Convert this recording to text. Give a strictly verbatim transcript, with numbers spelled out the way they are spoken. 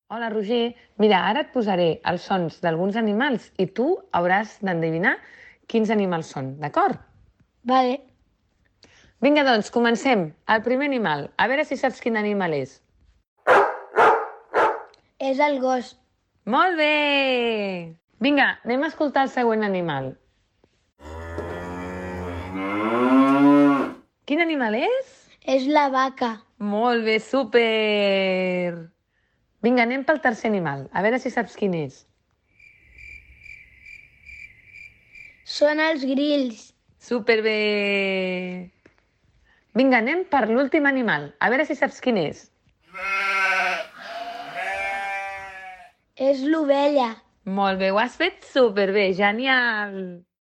Hola, Roger. Mira, ara et posaré els sons d'alguns animals i tu hauràs d'endevinar quins animals són, d'acord? Vale, Vinga, doncs, comencem. El primer animal. A veure si saps quin animal és. és el gos. Molt bé! Vinga, anem a escoltar el següent animal. Quin animal és? És la vaca. Molt bé, súper! Vinga, anem pel tercer animal. A veure si saps quin és. Són els grills. Superbé! Vinga, anem per l'últim animal. A veure si saps quin és. És l'ovella. Molt bé, ho has fet superbé, genial!